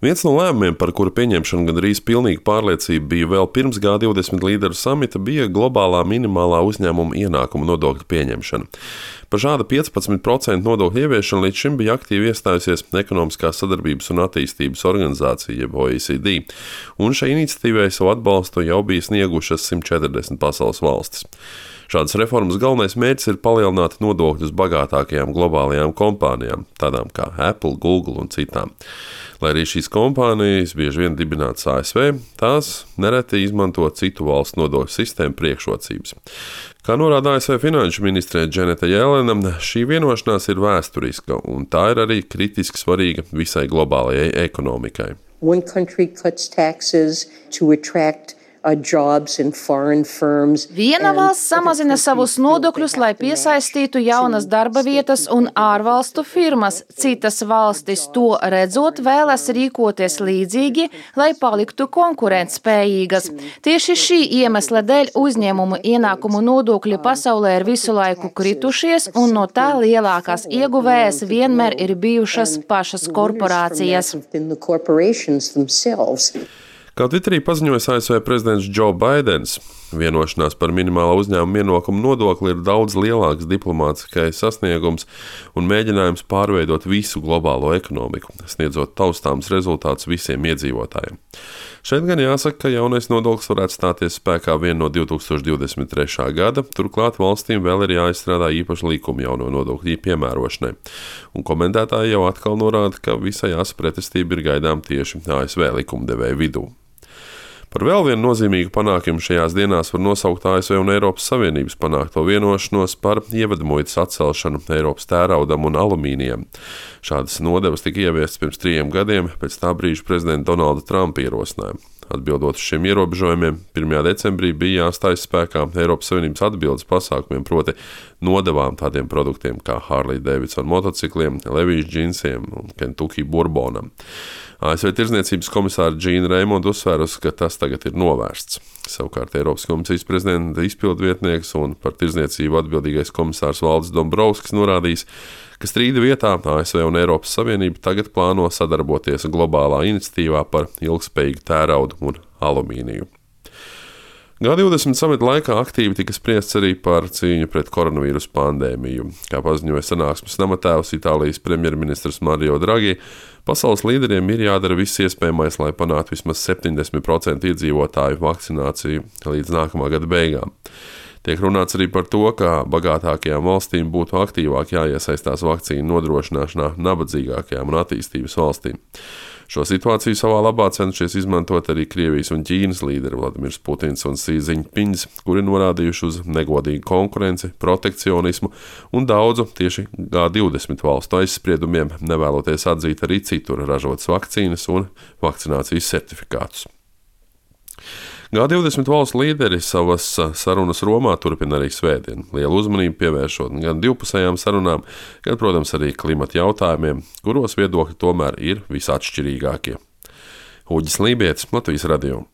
Viens no lēmumiem, par kuru pieņemšanu gandrīz pilnīga pārliecība bija vēl pirms G20 līderu samita, bija globālā minimālā uzņēmuma ienākuma nodokļa pieņemšana. Par šādu 15% nodokļu ieviešanu līdz šim bija aktīvi iestājusies Ekonomiskās sadarbības un attīstības organizācija, jeb OECD, un šai iniciatīvai savu atbalstu jau bija sniegušas 140 pasaules valstis. Šādas reformas galvenais mērķis ir palielināt nodokļus bagātākajām globālajām kompānijām, tādām kā Apple, Google un citām. Lai arī šīs kompānijas bieži vien dibinātas ASV, tās nereti izmanto citu valstu nodokļu sistēmu priekšrocības. Kā norāda ASV finanšu ministre Janeta Yellena, šī vienošanās ir vēsturiska, un tā ir arī kritiski svarīga visai globālajai ekonomikai. One country cuts taxes to attract jobs in foreign firms. Viena valsts samazina savus nodokļus, lai piesaistītu jaunas darba vietas un ārvalstu firmas. Citas valstis to redzot vēlas rīkoties līdzīgi, lai paliktu konkurētspējīgas. Tieši šī iemesla dēļ uzņēmumu ienākumu nodokļi pasaulē ir visu laiku kritušies, un no tā lielākās ieguvējas vienmēr ir bijušas pašas korporācijas. Kā Twitterī paziņoja ASV prezidents Joe Baidens, vienošanās par minimālā uzņēmuma ienākuma nodokli ir daudz lielāks diplomātiskais sasniegums un mēģinājums pārveidot visu globālo ekonomiku, sniedzot taustāms rezultātus visiem iedzīvotājiem. Šeit gan jāsaka, ka jaunais nodoklis varētu stāties spēkā vien no 2023. gada, turklāt valstīm vēl ir jāizstrādā īpaši likumi jauno nodokļu piemērošanai. Un komentētāji jau atkal norāda, ka visai asa pretestība ir gaidām tieši ASV likumdevēju vidū. Par vēl vienu nozīmīgu panākumu šajās dienās var nosaukt ASV un Eiropas Savienības panākto vienošanos par ievedmuitas atcelšanu Eiropas tēraudam un alumīnijam. Šādas nodevas tika ieviestas pirms 3 gadiem pēc tā brīža prezidenta Donalda Trumpa ierosinājuma. Atbildot uz šiem ierobežojumiem, 1. decembrī bija jāstājas spēkā Eiropas Savienības atbildes pasākumiem, proti nodevām tādiem produktiem kā Harley Davidson motocikliem, Levi's džinsiem un Kentucky Bourbonam. ASV tirdzniecības komisāra Džīna Reimonda uzsvērusi, ka tas tagad ir novērsts. Savukārt Eiropas komisijas prezidenta izpildvietnieks un par tirdzniecību atbildīgais komisārs Valdis Dombrovskis norādījis, ka strīda vietā ASV un Eiropas Savienība tagad plāno sadarboties globālā iniciatīvā par ilgspējīgu tēraudu un alumīniju. G20 samita laikā aktīvi tika spriests arī par cīņu pret koronavīrusu pandēmiju. Kā paziņoja sanāksmes namatēvs Itālijas premjerministrs Mario Draghi, pasaules līderiem ir jādara viss iespējamais, lai panāktu vismaz 70% iedzīvotāju vakcināciju līdz nākamā gada beigām. Tiek runāts arī par to, ka bagātākajām valstīm būtu aktīvāk jāiesaistās vakcīnu nodrošināšanā nabadzīgākajām un attīstības valstīm. Šo situāciju savā labā cenšies izmantot arī Krievijas un Ķīnas līderi Vladimirs Putins un Xi Jinpings, kuri norādījuši uz negodīgu konkurenci, protekcionismu un daudzu tieši G20 valstu aizspriedumiem, nevēloties atzīt arī citur ražotas vakcīnas un vakcinācijas certifikātus. G20 valstu līderi savas sarunas Romā turpina arī svētdien, lielu uzmanību pievēršot gan divpusējām sarunām, gan, protams, arī klimata jautājumiem, kuros viedokļi tomēr ir visatšķirīgākie. Uģis Lībietis, Latvijas radio.